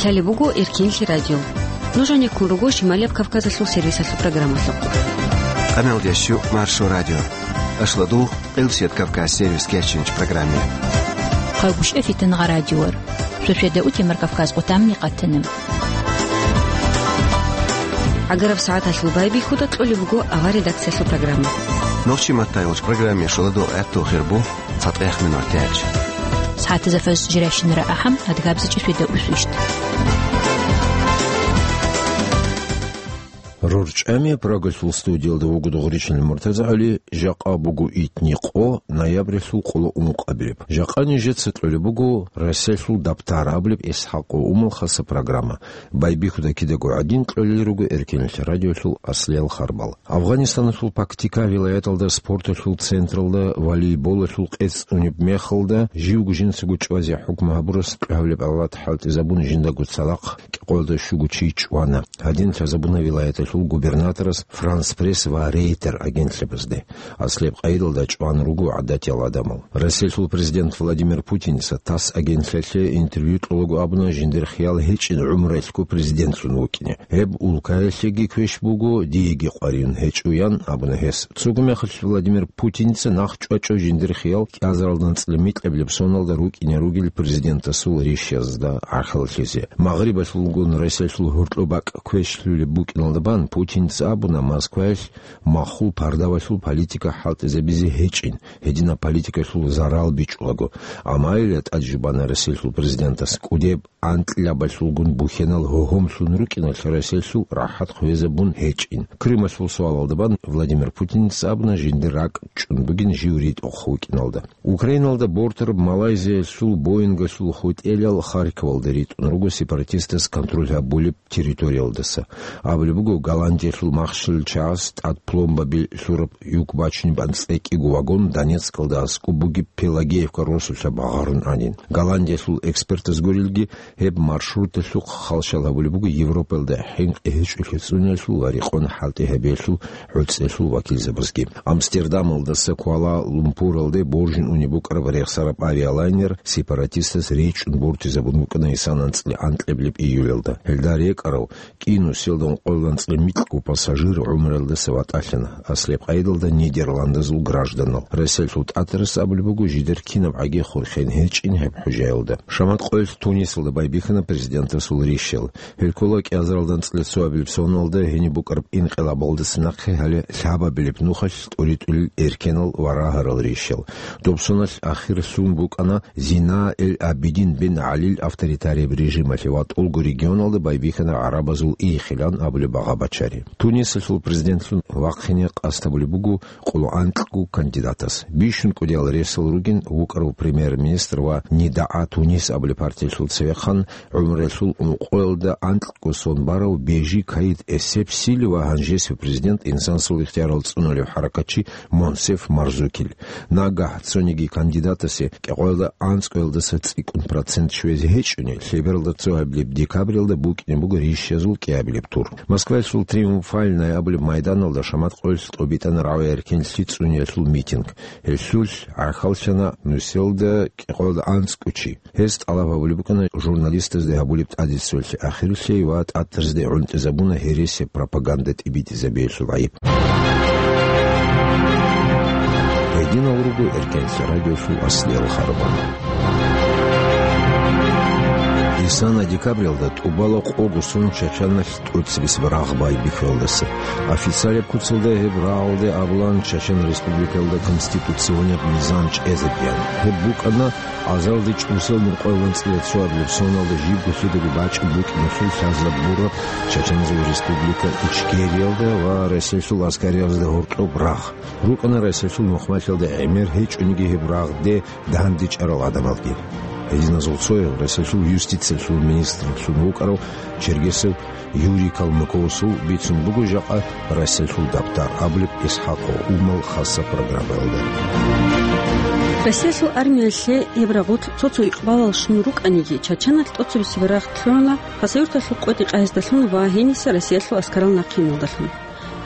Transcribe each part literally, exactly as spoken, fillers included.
Гьале буго Эркенлъи радио. Нуж гьанеккун руго Шималияб Кавказалъул сервисалъул программалъухъ. Къаналдеш щу Маршо радио. Ашлодул, Къилсият Кавказ сервис кечинч программе. Хъагушев Фитангъа радиор. Суседа утемар Кавказ къутамни къатанам. Агараб сагӀаталъул байбихьуда кьолеб буго авар редакциялъул программа. Нохчи маттайолч программе шоладо гӀатту хирбу. ЦатӀех минор тяч. СагӀатазда фаз жиращинара ахӀам, адгабзичӀи светда усвищт. РорчӀами Прагалъул студиялда вуго Догъричилан МуртазагӀали, жакъа буго итни къо, ноябрьалъул къоло ункъабилеб. Жакъа нижеца кьолеб буго Россиялъул дабтар абулеб ИсхӀакъов Умал хаса программа. Байбихьуда кидаго гӀадин кьолел руго Эркенлъи радиолъул аслиял харбал. Афганистаналъул Пактика вилаяталда спорталъул централда волейболалъул къец унеб мехалда, живго жинцаго чӀвазе хӀукму гьабурас кьвагьабилеб авлад хӀалтӀизабун жиндаго цадахъ кӀикъоялда щуго чи чӀвана. Гьадин лъазабуна вилаяталъул губернаторас, Франс Пресс ва Рейтер агентлъабазде. Аслияб къайдалда чӀван руго гӀадатиял гӀадамал. Россиялъул президент Владимир Путиница ТАСС агентлъиялъе интервью кьолаго абуна, жиндир хиял гьечӀин гӀумруялъго президентлъун вукӀине. Гьеб улкаялъеги квеш буго, диеги къваригӀун гьечӀо, ян абуна гьес. Цого мехалъ Владимир Путиница нахъ чӀвачӀо жиндир хиял кӀиазаралда анцӀила микьабилеб соналда рукӀине ругел президентасул ришазда гӀахьаллъизе. Магърибалъулгун Россиялъул гьоркьоб бакӀ квешлъулеб букӀиналда бан Путиница абуна, Москваялъ махул пардавалъул политика хӀалтӀизабизе гьечӀин, гьединаб политикалъул зарал бичӀчӀулаго. Амма гьелда тӀад жубана Россиялъул президентас кӀудеб анкьабалъулгун бухьанал гьогьомлъун рукӀиналъ Россиялъул рахӀат хвезабун гьечӀин. Крымалъул суалалда бан Владимир Путиница абуна, жиндир ракӀ чӀун бугин жив ритӀухъ вукӀиналда. Украиналда бортараб Малайзиялъул Боингалъул хутӀелал Харьковалда ритӀун руго сепаратистас контроль гьабулеб территориялдаса. Абулеб буго, Голландиялъул махщел чагӀаз тӀад пломбаби лъураб юк бачунеб анцӀила кӀиго вагон Донецкалда аскӀоб бугеб Пелагеевка росулъа багъарун гӀадин. Голландиялъул экспертаз гурелги, гьеб маршруталъухъ халщал гьабулеб буго Европаялда хӀинкъи гьечӀолъи цӀуниялъул ва рекъон хӀалтӀи гьабиялъул гӀуцӀиялъул вакилзабазги. Амстердамалдаса Куала-Лумпуралде боржун унеб букӀараб рехсараб авиалайнер сепаратистас речӀчӀун бортизабун букӀана гьесул анцӀила анкьабилеб июлалда. Гьелда рекӀарал кӀиго нусиялда ункъоялда анцӀила микьго пассажир гӀумруялдаса ватӀалъана, аслияб къайдалда нидерландазул гражданал. Россиялъул тӀатарас абулеб буго, жидер кинабгӀаги хурхен гьечӀин гьеб хӀужаялда. Шамат къоялъ Тунисалда байбихьана президентасул ришал. Гьел ккола кӀиазаралда анцӀила цоабилеб соналда гьениб букӀараб инкъилабалдаса нахъе гьале лъабабилеб нухалъ тӀуритӀулел эркенал ва рагьарал ришал. Доб соналъ ахирлъун букӀана Зина эль-Абидин бен ГӀалил авторитарияб режималъе ва тӀолго регионалда байбихьана гӀарабазул Ихилан абулеб багъа-бачари. Тунисалъул президентлъун вахъине къасд гьабулеб буго къоло анкьго кандидатас. Бищун кӀудиял ресал ругин вукӀарав премьер-министр ва НидагӀа Тунис абулеб партиялъул цевехъан, гӀумруялъул ункъоялда анкьго сон барав Бежи Каид Эссебсили ва гьанжесев президент, инсанасул ихтиярал цӀунулев хӀаракатчи Монсеф Марзукил. Нагагь цониги кандидатасе кӀикъоялда анцӀгоялдаса цӀикӀкӀун процент щвезе гьечӀони, лъебералда цоабилеб декабралда букӀине буго ришазул кӀиабилеб тур. Москваялъул Триумфальная абулеб майданалда шамат къоялъ тӀобитӀана рагӀуя эркенлъи цӀуниялъул митинг. Гьелъулъ гӀахьаллъана нусиялда кӀикъоялда анцӀго чи. Гьез тӀалаб гьабулеб букӀана журналистазде гьабулеб тӀадбуцалъе ахиралъе ва тӀатарзде гӀунтӀизабуна гьересияб пропаганда тӀибитӀизабиялъул гӀайиб. Гьединал руго Эркенлъи радиолъул аслиял харбал. Исана декабралда тӀубала къого сон Чачаналъ тӀоцебесеб рагъ байбихьиялдаса. Официалияб куцалда гьеб рагъалде абулаан Чачан Республикаялда конституционияб низам чӀезабиан. Гьеб букӀана азалде чӀусел нукъоялда анцӀила цоабилеб соналда жибго лъидаго бачӀун букӀиналъул лъазабураб Чачанзул республика Ичкериялда ва Россиялъул аскариязда гьоркьоб рагъ. РукӀана Россиялъул мухъмалъиялда гӀемер гьечӀониги гьеб рагъде дандечӀарал гӀадамалги. Гьединазул цояв Россиялъул юстициялъул министрлъун вукӀарав Чергесов Юрий Калмыковасул бицун буго жакъа Россиялъул дабтар абулеб ИсхӀакъов Умал хаса программаялда. Россиялъул армиялъе гьеб рагъулъ цо-цо икъбалал щун рукӀаниги, Чачаналъ тӀоцебесеб рагъ лъугӀана Хасавюрталъул КъотӀи-Къагьиздалъун ва гьениса Россиялъул аскарал нахъиналдалъун.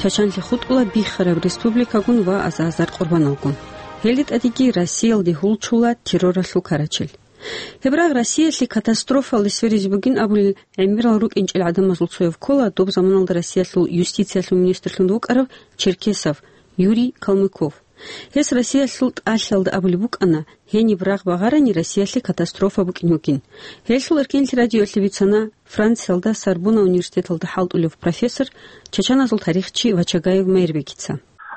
Чачанлъи хутӀула биххараб республикагун ва аза-азар къурбаналгун. Гьелде тӀадеги Россиялде гьулчула терроралъул карачел. Гьеб рагъ Россиялъе катастрофаялде сверизе бугин абулел гӀемерал рукӀинчӀел гӀадамазул цояв ккола доб заманалда Россиялъул юстициялъул министрлъун вукӀарав Черкесов Юрий Калмыков. Гьес Россиялъул тӀалъиялда абулеб букӀана, гьениб рагъ багъарани Россиялъе катастрофа букӀин бугин. Гьелъул эркенлъи радиоялъе бицана Франциялда Сорбонна университеталда хӀалтӀулев профессор, чачаназул тарихчи Вачагаев Майрбекица.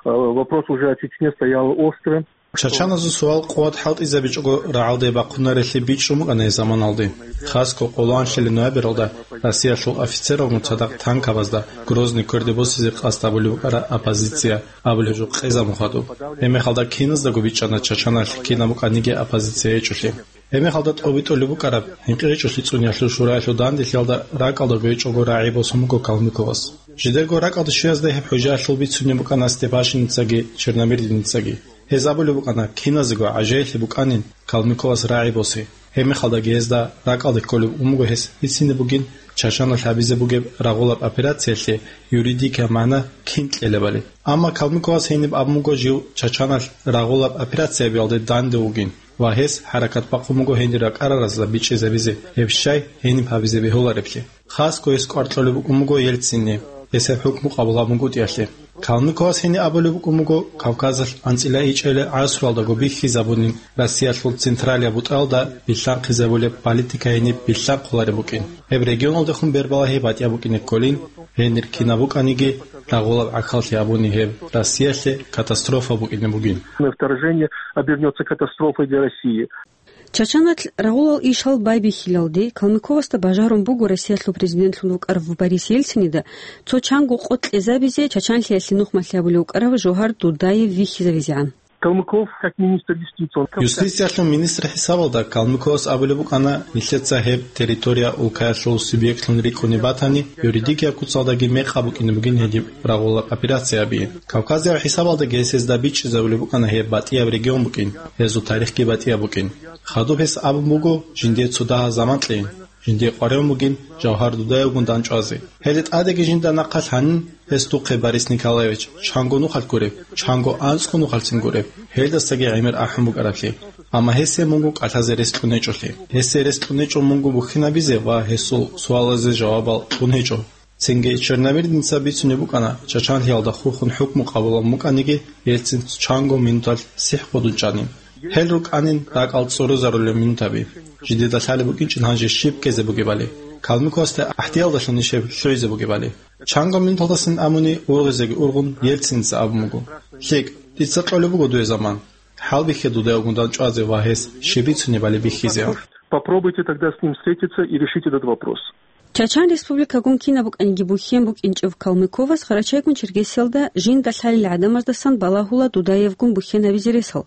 Э, вопрос уже о Чечне стоял остро. Чачаназул суал къуват хӀалтӀизабичӀого рагӀалде бахъунарелъи бичӀчӀун букӀана гьеб заманалде. Хасго къоло анлъилеб ноябралда Россиялъул офицералгун цадахъ танкабазда Грозный кверде босизе къасд гьабулеб букӀараб оппозиция абулеб жо къезабун хадуб. Гьебмехалда киназдаго бичӀчӀана чачаналъ кинаб букӀаниги оппозиция гьечӀолъи. Гьебмехалда тӀобитӀулеб букӀараб ХӀинкъичӀолъи цӀуниялъул шураялъул данделъиялда ракӀалдаго гьечӀого рагӀи босун буго Калмыковас. Жидерго ракӀалде щвеязда гьеб хӀужаялъул бицунеб букӀана Степашиницаги Черномырдиницаги. Гьез абулеб букӀана, киназего гӀажаиблъи букӀанин Калмыковас рагӀи босе. Гьебмехалдаги гьезда ракӀалде кколеб букӀун буго гьес бицине бугин чачаналъ гьабизе бугеб рагъулаб операциялъе юридикияб магӀна кин кьелебали. Амма Калмыковас гьениб абун буго жив чачаналъ рагъулаб операция гьабиялде данде вугин ва гьес хӀаракат бахъун буго гьенир ракӀараразда бичӀчӀизабизе гьеб щай гьениб гьабизе бегьулареблъи. Хасго гьес кӀвар кьолеб букӀун буго Ельцинни, гьесие хӀукму къабул гьабунгутӀиялъе. Калмыковас гьениб абулеб букӀун буго Кавказалъ анцӀила ичӀабилеб гӀасруялдаго бихьизабунин Россиялъул централияб бутӀалда билълъанхъизабулеб политика гьениб билълъанхъулареб букӀин. Гьеб регионалдехун бербалагьи батӀияб букӀине кколин, гьенир кинаб букӀаниги рагъулаб гӀахьаллъи гьабуни гьеб Россиялъе катастрофа букӀине бугин. Вторжение обернётся катастрофой для России. Чачаналъ рагъулал ишал байбихьилалде Калмыковасда бажарун буго Россиялъул президентлъун вукӀарав Борис Ельцинида цо чанго къо кьезабизе чачанлъиялъе нухмалъи гьабулев вукӀарав Жовгьар Дудаев вихьизавизегӀан. Калмыков, как министр юстиции, он как... Юстициялъул министр хӀисабалда Калмыковас абулеб букӀана, нилъеца гьеб территория улкаялъул субъектлъун рикӀкӀунеб батани, юридикияб куцалдаги мекъаб букӀине бугин гьедиб рагъулаб операция гьабизе. Кавказияб хӀисабалдаги гьес гьезда бичӀчӀизабулеб букӀана гьеб батӀияб регион букӀин, гьезул тарихги батӀияб букӀин. Хадуб гьес абун буго, жиндие цо дагьаб заман кьейин, жиндие къваригӀун бугин Жавгьар Дудаевгун дандчӀвазе. Гьелда тӀадеги жинда нахъа лъанин, гьес духъе, Борис Николаевич, чанго нухалъ гуреб, чанго анцӀго нухалъцин гуреб, гьелдасаги гӀемер ахӀун букӀараблъи. Амма гьесие мунго кӀалъазе рес кьун гьечӀолъи. Гьесие рес кьун гьечӀо мунго бухьинабизе ва гьесул суалазе жавабал кьун гьечӀо. Цинги Черномырдинца бицунеб букӀана, чачанлъиялда хурхун хӀукму къабулабун букӀаниги, Ельцин чанго минуталъ сихӀ къудун чӀанин. Гьел рукӀанин ракӀал цӀурузарулел минутаби. Жидеда лъалеб букӀинчӀин гьанже щиб ккезе бугебали. Калмыковасда гӀахӀдиялдалъун ниж гьеб лъугӀизе бугебали. Чанго минуталдасан абуни ургъизеги ургъун, Ельциница абун буго: «ЛъикӀ, дица кьолеб буго дуе заман. ХӀалбихье Дудаевгун дандчӀвазе ва гьес щиб бицунебали бихьизе». Попробуйте тогда с ним встретиться и решить этот вопрос. Чачан Республикагун кинаб букӀаниги бухьен букӀинчӀев Калмыковас Къарачайгун Черкесиялда жинда лъалел гӀадамаздасан балагьула Дудаевгун бухьен гьабизе ресал.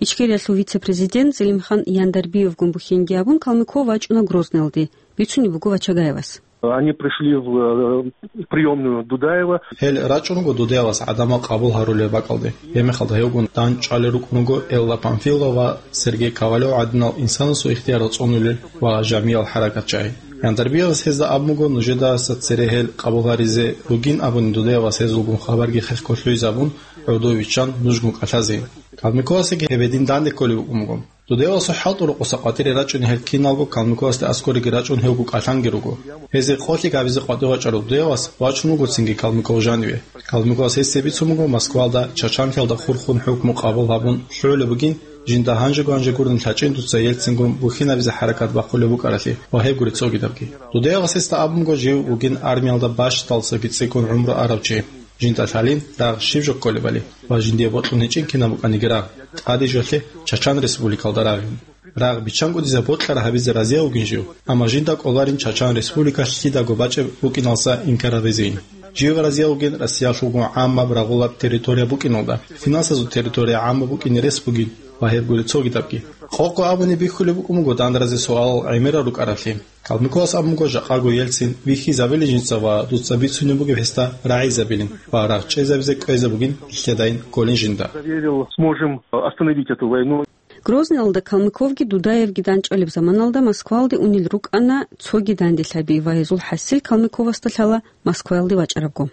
Ичкериялъул вице-президент Зелимхан Яндарбиевгун бухьенги абун, Калмыков вачӀуна Грозныйалде, бицунеб буго Вачагаевас. Они пришли в, э, приёмную Дудаева. Гьел рачӀун руго Дудаевас гӀадамал къабул гьарулел бакӀалде. Гьебмехалда гьевгун дандчӀвалел рукӀун руго Элла Памфилова ва Сергей Ковалев гӀадинал инсанасул ихтияр цӀунулел ва жамиял хӀаракатчагӀи. Яндарбиевас гьезда абун буго, нужедаса цере гьел къабул гьаризе ругин абуни, Дудаевас гьезулгун хабарги хехго лъугӀизабун, гӀодов виччан нужгун кӀалъазе. Калмыковасдаги гьеб гьедин данде кколеб букӀун буго. Дудаевасул хӀалтӀул рокъоса къватӀире рачӀунел гьел киналго Калмыковасда аскӀореги рачӀун гьевго кӀалъанги руго. Гьезие къолъи гьабизе къватӀив вачӀарав Дудаевас вачун вуго цинги Калмыков жаниве. Калмыковас гьесие бицун буго, Москвалда чачанлъиялда хурхун хӀукму къабул гьабун лъугӀулеб бугин, жинда гьанжего-гьанже гурин лъачӀин дуца Ельцингун бухьинабизе хӀаракат бахъулеб букӀаралъе ва гьеб гури цогидабги. Дудаевас гьесда абун буго, жив вугин армиялда бащдалсаги цӀикӀкӀун гӀумру арав чи. Жинда лъалин рагъ щиб жо кколебали ва жиндие бокьун гьечӀин кинаб букӀаниги рагъ, тӀаде жолъе Чачан Республикалда рагъин. Рагъ биччанго дица бокьараб гьабизе разияв вугин жив, амма жинда кӀоларин Чачан Республика лъидаго бачӀеб букӀиналса инкар гьабизейин. Жив разияв вугин Россиялъулгун гӀаммаб рагъулаб территория букӀиналда, финансазул территория гӀаммаб букӀине рес бугин ва гьеб гури цогидабги. Къокъго абуни бихьулеб букӀун буго дандаразе суалал гӀемерал рукӀараблъи. Калмыковас абун буго, жакъаго Ельцин вихьизабилин жинца ва дуца бицунеб бугеб гьесда рагӀизабилин ва рагъ чӀезабизе кӀвезе бугин лъедайин кколин жинда. Заверил, сможем остановить эту войну. Грозныйалда Калмыковги Дудаевги данчӀвалеб заманалда Москвалде унел рукӀана цоги данделъаби ва гьезул хӀасил Калмыковасда лъала Москваялде вачӀарабго.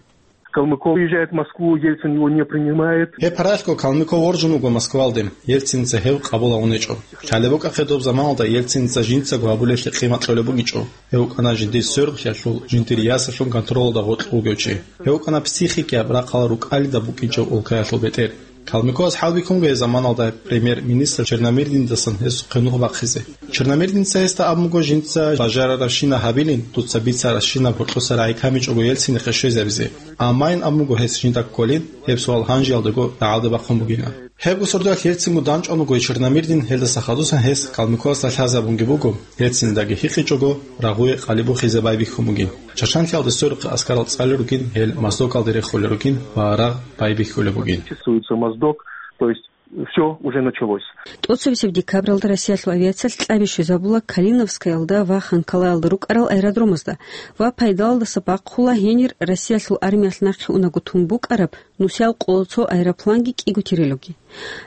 Калмыков приезжает в Москву, Ельцин его не принимает. Гьеб паралъго Калмыков воржун вуго Москвалде, Ельциница гьев къабул гьавун гьечӀо. Лъалеб букӀахъе доб заманалда Ельциница жинцаго гьабулеблъи къимат кьолеб бугичӀо. Гьев вукӀана жиндир сверухълъиялъул, жиндир ясалъул контролалда гъоркь вугев чи. Гьев вукӀана психикияб рахъалал рукӀалида букӀинчӀев улкаялъул бетӀер. Калмыковас хӀалбихьун буго гьеб заманалда премьер-министр Черномырдиндасан гьесухъе нух бахъизе. Черномырдинца гьесда абун буго жинца бажарарабщина гьабилин, дуца бицарабщинаб гьоркьоса рагӀи камичӀого Ельцинихъе щвезабизе. Аммайин абун буго гьес жинда кколин, гьеб суал гьанжеялдаго рагӀалде бахъун бугилан. Гьебго сордоялъ Ельцинго данчӀван вуго Черномырдин, гьелдаса хадусан гьес Калмыковасда лъазабунги буго, Ельциндаги хӀинкъичӀого, рагъуе къалибухизе байбихьун бугин. Чачанлъиялде сверухъе аскарал цӀалел ругин, гьел Моздокалде рехулел ругин ва рагъ байбихьулеб бугин. Чувствуется Моздок, то есть всё уже началось. ТӀоцебесеб декабралда Россиялъул авиациялъ кьаби щвезабула Калиновскаялда ва Ханкалаялда рукӀарал аэродромазда ва пайдалалдаса бахъула гьенир Россиялъул армиялъ нахъе унаго тун букӀараб нусиял къоло цо аэропланги кӀиго тирилоги.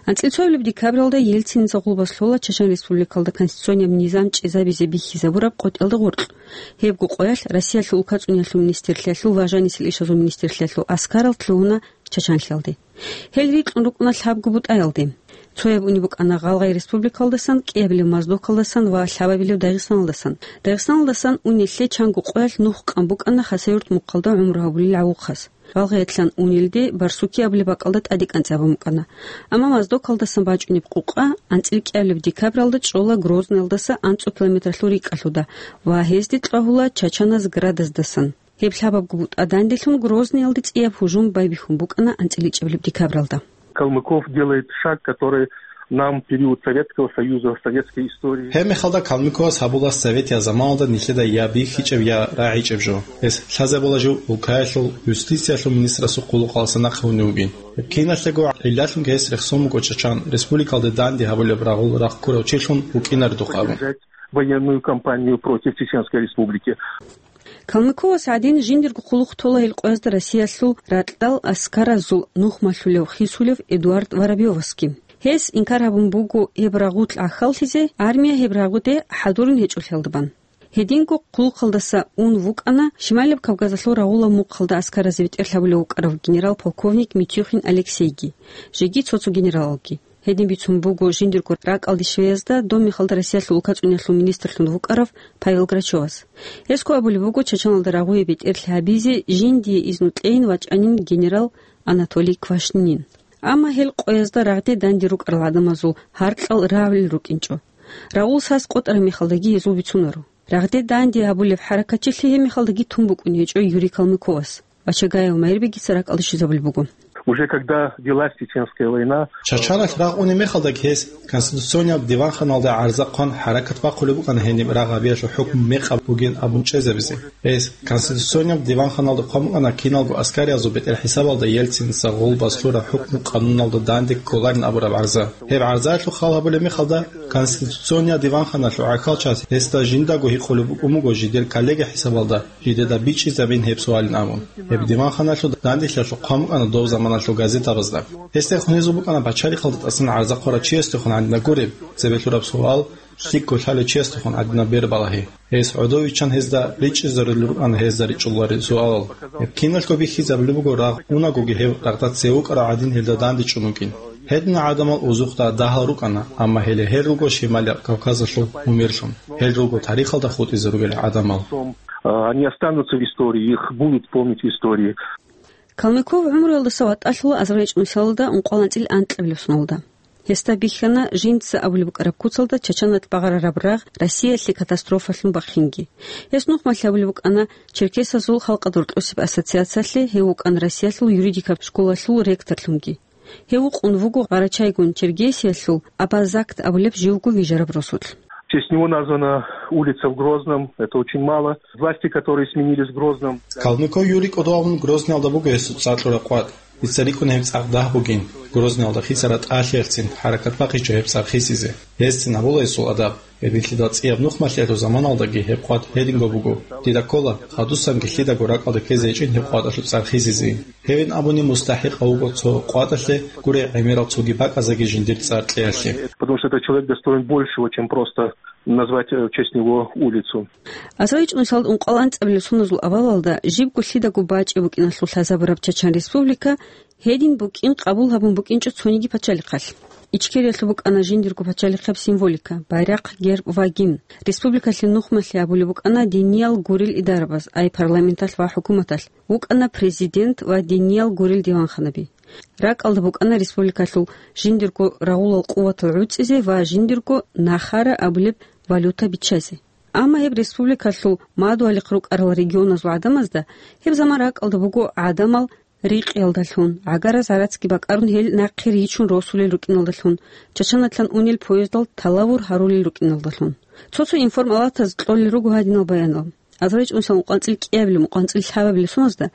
АнцӀила цоабилеб декабралда Ельциница гъулбас лъола Чачан Республикалда конституцияб низам чӀезабизе бихьизабураб къотӀиялда гъоркь. Гьебго къоялъ Россиялъул улкацӀуниялъул министрлъиялъул ва жанисел ишазул министрлъиялъул аскарал лъугьуна Чачанлъиялде. Гьел рикьун рукӀуна лъабго бутӀаялде. Цояб унеб букӀана Гъалгъай Республикалдасан, кӀиабилеб Моздокалдасан ва лъабабилеб Дагъистаналдасан. Дагъистаналдасан унеллъе чанго къоялъ нух къан букӀана Хасавюрт мухъалда гӀумру гьабулел гӀавухъас. Гъалгъаялъан унелде Барсуки абулеб бакӀалда тӀаде кӀанцӀабун букӀана. Амма Моздокалдасан бачӀунеб къукъа анцӀила кӀиабилеб декабралда чӀола Грозныялдаса анцӀго километралъул рикӀкӀалъуда ва гьезде кьвагьула чачаназ градаздасан. Гьеб лъабабго бутӀа данделъун Грозныялде цӀияб гьужум байбихьун букӀана анцӀила ичӀабилеб декабралда. Калмыков делает шаг, который нам в период Советского Союза, в советской истории. Гьеб мехалда Калмыковас гьабула советиял заманалда нилъеда я бихьичӀеб, я рагӀичӀеб жо. Гьес лъазабула жив улкаялъул юстициялъул министрасул хъулухъалдаса нахъе унев вугин. Гьеб киналъего гӀиллалъунги гьес рехсон буго Чачан Республикалде данде гьабулеб рагъул рахъ ккурав чилъун вукӀинаредухъ абун. Военную кампанию против Чеченской Республики. Калмыковас гӀадин жиндирго хъулухъ тола гьел къоязда Россиялъул ракьал аскаразул нух малъулев хисулев Эдуард Воробьёвасги. Гьес инкар гьабун буго гьеб рагъулъ гӀахьаллъизе, армия гьеб рагъуде хӀадурун гьечӀолъиялда бан. Гьединго хъулухъалдаса ун вукӀана Шималаб Кавказалъул рагъулаб мухъалда аскаразе бетӀер лъабулев вукӀарав генерал-полковник Митюхин Алексейги, жеги цо-цо генералалги. Гьедин бицун буго жиндирго ракӀалде щвеязда доб мехалда Россиялъул улкацӀуниялъул министрлъун вукӀарав Павел Грачевас. Гьесго абулеб буго Чачаналда рагъуе бетӀерлъи гьабизе жиндие изну кьейин вачӀанин генерал Анатолий Квашнинин. Амма гьел къоязда рагъде данде рукӀарал гӀадамазул гьаркьал равлил рукӀинчӀо. Рагъул сас къотӀараб мехалдаги гьезул бицунаро. Рагъде данде гьабулеб хӀаракатчилъи гьеб мехалдаги тун букӀун гьечӀо Юрий Калмыковас. Бачагаев Майрбегица ракӀалде щвезабулеб буго. Уже когда велась Чеченская война, Чачаналъ рагъ унеб мехалдаги гьес Конституционияб диванханалда гӀарза хъван хӀаракат бахъулеб букӀана гьениб рагъ гьабиялъул хӀукму мекъаб бугин абун чӀезабизе. Гьес Конституционияб диванханалда хъван букӀана киналго аскариязул бетӀер хӀисабалда Ельциница гъулбас лъураб хӀукму къануналда данде кколарин абураб гӀарза. Гьеб гӀарзаялъул хал гьабулеб мехалда, Конституционияб диванханалъул гӀахьалчияс гьесда жиндаго гьикъулеб букӀун буго жидер коллега хӀисабалда жидеда бичӀчӀизабин гьеб суалин абун. Гьеб диванханалъул данделъиялъул хъван букӀана доб заманалъул газетабазда. Гьесдехун гьезул букӀана пачалихъалда тӀасан гӀарза хъварав чиясдехун гӀадинаб гуреб, цебе лъураб суал, лъикӀго лъалев чиясдехун гӀадинаб бербалагьи. Гьес гӀодов виччан гьезда ричӀчӀизарулел рукӀана гьезда ричӀчӀуларел суалал. Гьеб киналго бихьизабулеб буго рагъ унагоги гьев рагъда цеве вукӀарав гӀадин гьелда дандечӀун вукӀин. Гьединал гӀадамал узухъда дагьал рукӀана, амма гьеле гьел руго Шималияб Кавказалъул умерлъун. Гьел руго тарихалда хутӀизе ругел гӀадамал. А, они останутся в истории, их будут помнить в истории. Калмыков гӀумруялдаса ватӀалъула азарилчӀ нусалда ункъоялда анцӀила анкьабилеб соналда. Гьесда бихьана жинца абулеб букӀараб куцалда Чачаналъ багъарараб рагъ Россиялъе катастрофалъун бахинги. Гьес нухмалъ абулеб букӀана Черкесазул халкъалда рокьосеб ассоциациялъе, гьев вукӀана Россиялъул юридикаб школалъул ректорлъунги. Гьев вукъун вуго Къарачайгун-Чергесиялъул Абазакт абулеб живго вижараб росулъ. В честь него названа улица в Грозном. Это очень мало. Власти, которые сменились в Грозном. Калмыков Юрий кӀодо абун Грозниялда буго гьесул цӀакъ кьураб къватӀ. Дица рикӀкӀуна гьеб цӀакъ дагь бугин, Грозниялда хисараб тӀалъиялъцин хӀаракат бахъичӀо гьеб цӀакъ хисизе. Гьезцин гьабула гьесул адаб. Гьединлъидал цӀияб нухмалъиялъул заманалдаги гьеб къват гьединго буго. Дида ккола, хадусанги лъидаго ракӀалда ккезе гьечӀин гьеб къватӀалъул цӀар хизизе. Гьевин абуни мустахӀикъав вуго цо къватӀалъе, гурей гӀемерал цоги бакӀазеги жиндир цӀар кьеялъе. Потому что этот человек достоин большего, чем просто назвать, э, в честь него улицу. Азарил чӀужуялда ункъоялда анцӀабилеб соназул авалалда жибго лъидаго бачӀи букӀиналъул лъазабураб Чачан Республика гьедин букӀин къабул гьабун букӀинчӀо цониги пачалихъалъ. Ичкериялъул букӀана жиндирго пачалихъаб символика, байрахъ, герб ва гимн. Республикалъе нухмалъи абулеб букӀана диниял гурел идарабаз, ай парламенталъ ва хӀукуматалъ, вукӀана президент ва диниял гурел диванханаби. РакӀалда букӀана республикалъул жиндирго рагъулал къуватал гӀуцӀизе ва жиндирго нахара абулеб валюта биччазе. Амма гьеб республикалъул мадугьалихъ рукӀарал регионазул гӀадамазда гьеб заман ракӀалда буго гӀадамал рикъиялдалъун, гӀагараз гӀарацги бакӀарун гьел нахъе ричун росулел рукӀиналдалъун, Чачаналъан унел поездал талавур гьарулел рукӀиналдалъун. Цо-цо информалатаз кьолел руго гьадинал баянал. Азарил чӀужуялда ункъоялда анцӀил кӀиабилеб, ункъоялда анцӀил лъабабилеб соназда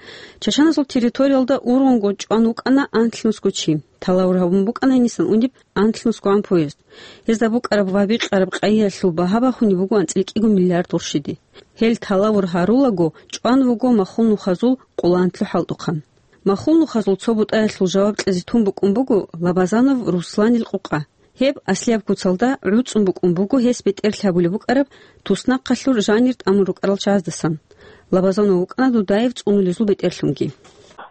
Чачаназул территориялда ургъунго чӀван вукӀана анлънусго чи. Талавур гьабун букӀана гьенисан унеб анлънусгогӀан поезд. Гьезда букӀараб ва бикъараб къайиялъул багьа бахунеб буго анцӀил кӀиго миллиард гъурщиде. Гьел талавур гьарулаго чӀван вуго Махул-Нухазул Къулантлъу хӀалтӀухъан. Махул-Нухазул цо бутӀаялъул жаваб кьезе тун букӀун буго Лабазанов Русланил къукъа. Гьеб аслияб куцалда гӀуцӀун букӀун буго гьес бетӀерлъи гьабулеб букӀараб туснахъалъур жанир тӀамун рукӀарал чагӀаздасан. Лабазанов вукӀана Дудаев цӀунулезул бетӀерлъунги.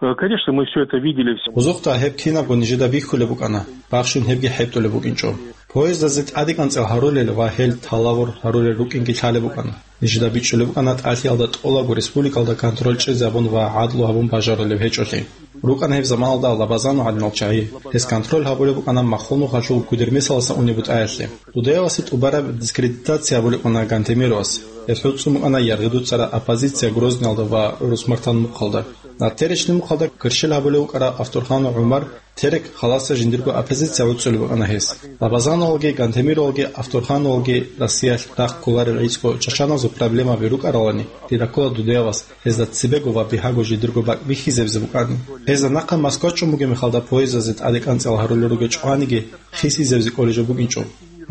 Э, конечно, мы всё это видели. Гъузухъа гьеб кинабго нижеда бихьулеб букӀана, бахщун гьебги хӀетӀулеб букӀинчӀо. Поездазе тӀадекӀанцӀал гьарулел ва гьел талавур гьарулел рукӀинги лъалеб букӀана. Нижеда бичӀчӀулеб букӀана тӀалъиялда тӀолабго республикалда контроль чӀезе гьабун ва гӀадлу гьабун бажарулеб гьечӀолъи. РукӀана гьеб заманалда Лабазанов гӀадинал чагӀи. Гьес контроль гьабулеб букӀана Махул-Нухалъул Гудермесалдасан унеб бутӀаялъе. Дудаевасе тӀубараб дискредитация гьабулеб букӀана Гантемировас. Гьес гӀуцӀун букӀана яргъи дуцӀараб оппозиция Грозныйалда ва ГӀурус-Мартан мухъалда. Натеречный мухъалда кверщел гьабулев вукӀарав Авторханов ГӀумар Терек халаса жиндирго оппозиция гӀуцӀулеб букӀана гьес. Лабазановалги, Гантемировалги, Авторхановалги Россиялъ рахъ кколарел гӀицӀго чачаназул проблемаби рукӀаралани, дида ккола Дудаевас гьезда цебего ва бигьаго жидерго бакӀ бихьизабизе букӀани. Гьезда нахъа Москва чӀун бугеб мехалда поездазе тӀадекӀанцӀал гьарулел ругел чӀваниги хисизабизе кколеб жо букӀинчӀо.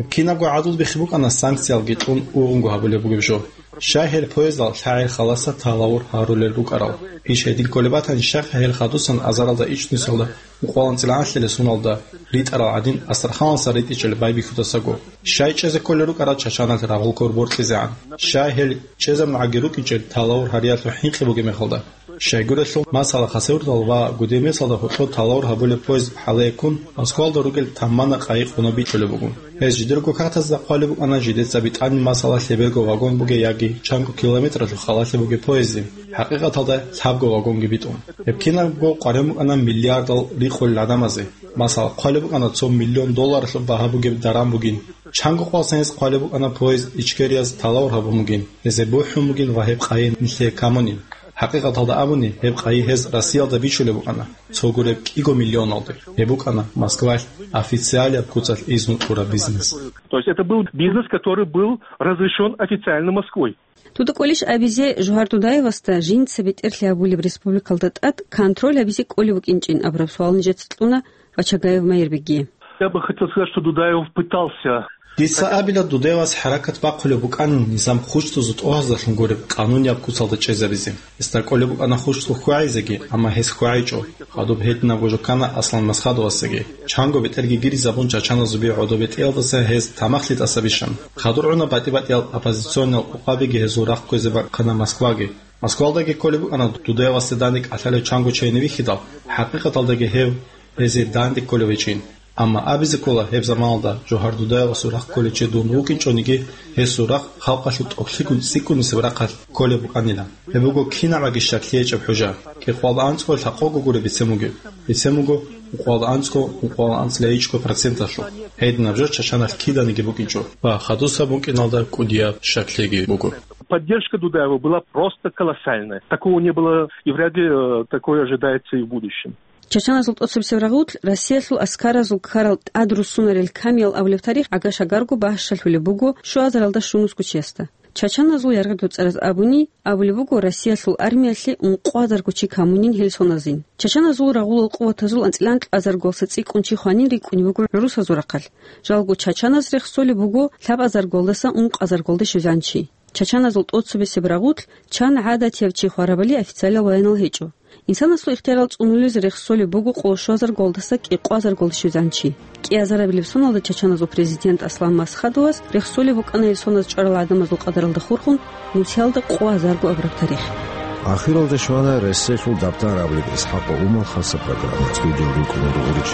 Кинабго гӀадлу бихьи букӀана санкциялги кьун ургъунго гьабулеб бугеб жо. Щай гьел поездал лъагӀел халаса талавур гьарулел рукӀарал? Иш гьедин кколеб батани, щай гьел хадусан азаралда ичӀнусалда ункъоялда анцӀил анлъилел соналда ритӀарал гӀадин Астраханаса ритӀичӀел байбихьудасаго? Щай чӀезе кколел рукӀарал Чачаналъ рагъул ккор боркьизегӀан? Щай гьел чӀезабунгӀаги рукӀинчӀел талавур гьариялъул хӀинкъи бугеб мехалда? Щайгурелъул, масала, Хасавюрталда ва Гудермесалда гьоркьор талавур гьабулеб поезд хӀалаяккун Москвалда ругел тамана къайи къуноб бикьулеб буго. Гьез жидерго картазда хъвалеб букӀана жидеца битӀанин, масала, лъеберго вагон бугей яги чанго километралъул халалъе бугеб поезде, хӀакъикъаталда лъабго вагонги битӀун. Гьеб кинабго къваригӀун букӀана миллиардал рикъулел гӀадамазе. Масала, хъвалеб букӀана цо миллион долларалъул багьа бугеб даран бугин. Чанго къвалсан гьез хъвалеб букӀана поезд Ичкерияз талавур гьабун бугин, гьезие бухӀун бугин ва гьеб къайи нилъее камунин. ХӀакъикъаталда абуни, гьеб къайи гьез Россиялда бичулеб букӀана, цо гуреб кӀиго миллионалде. Гьеб букӀана Москвалъ официалияб куцалъ изну кьураб бизнес. То есть это был бизнес, который был разрешён официально Москвой. Дуда кӀолищ абизе, Жугьар Дудаевасда жинца бетӀерлъи гьабулеб республикалда тӀад контроль гьабизе кӀолеб букӀинчӀин абураб суал нижеца кьуна Вачагаев Майирбегие. Я бы хотел сказать, что Дудаев пытался. Дица абила, Дудаевас хӀаракат бахъулеб букӀанин низам хущтузул тӀогьаздалъун гуреб къанунияб куцалда чӀезабизе. Гьесда кӀолеб букӀана хущту хьвагӀизеги, амма гьес хьвагӀичӀо. Хадуб гьединабго жо ккана Аслан Масхадовасдаги. Чанго бетӀерги гиризабун чачаназул би гӀодобе тӀеялдаса гьез тамахлъи тӀаса бищун. Хадур гӀуна батӀи-батӀиял оппозициониял къукъабиги гьезул рахъ кквезе бахъана Москваги. Москвалдаги кколеб букӀана Дудаевасде данде кӀалъалев чанго чейин вихьидал, хӀакъикъаталдаги гьев гьезие данде кколев гьечӀин. Амма абизе ккола, гьеб заманалда Жугьар Дудаевасул рахъ кколев чи дун вукӀинчӀониги, гьесул рахъ халкъалъул тӀокӀлъи цӀикӀкӀунисеб рахъалъ кколеб букӀанилан. Гьеб буго кинабгӀаги щаклъи гьечӀеб хӀужа. КӀикъоялда анцӀго лъакъого гуро бицен бугеб. Бицен буго ункъоялда анцӀго, ункъоялда анцӀила гьечӀго проценталъул. Гьединаб жо чачаналъ киданиги букӀинчӀо ва хадусаб букӀиналда кӀудияб щаклъиги буго. Поддержка Дудаева была просто колоссальная. Такого не было и вряд ли, э, такое ожидается и в будущем. Чачаназул тӀоцебесеб рагъулъ Россиялъул аскаразул ккарал тӀад руссунарел камиял абулеб тарих гӀага-шагарго бащалъулеб буго щуазаралда щунусго чиясда. Чачаназул яргъи доцӀараз абуни, абулеб буго, Россиялъул армиялъе ункъоазарго чи камунин гьел соназин. Чачаназул рагъулал къуватазул анцӀила анкьазарголса цӀикӀкӀун чи хванин рикӀкӀунеб буго русазул рахъалъ. Жалго чачаназ рехсолеб буго лъабазарголдаса ункъазарголде щвезан чи. Чачаназул тӀоцебесеб рагъулъ чан гӀадатияв чи хварабали официалиял баянал гьечӀо. Инсанасул ихтиярал цӀунулез рехсолеб буго къоло щуазарголдаса кӀикъоазарголде щвезан чи. КӀиазарабилеб соналда чачаназул президент Аслан Масхадовас рехсолеб букӀана гьел соназ чӀварал гӀадамазул къадаралда хурхун, нусиялда къоазарго абураб тарих. Ахиралде щвана Россиялъул дабтар абулеб ИсхӀакъ ва Умал хасаб программа. Студиял рукӀуна Дугъурич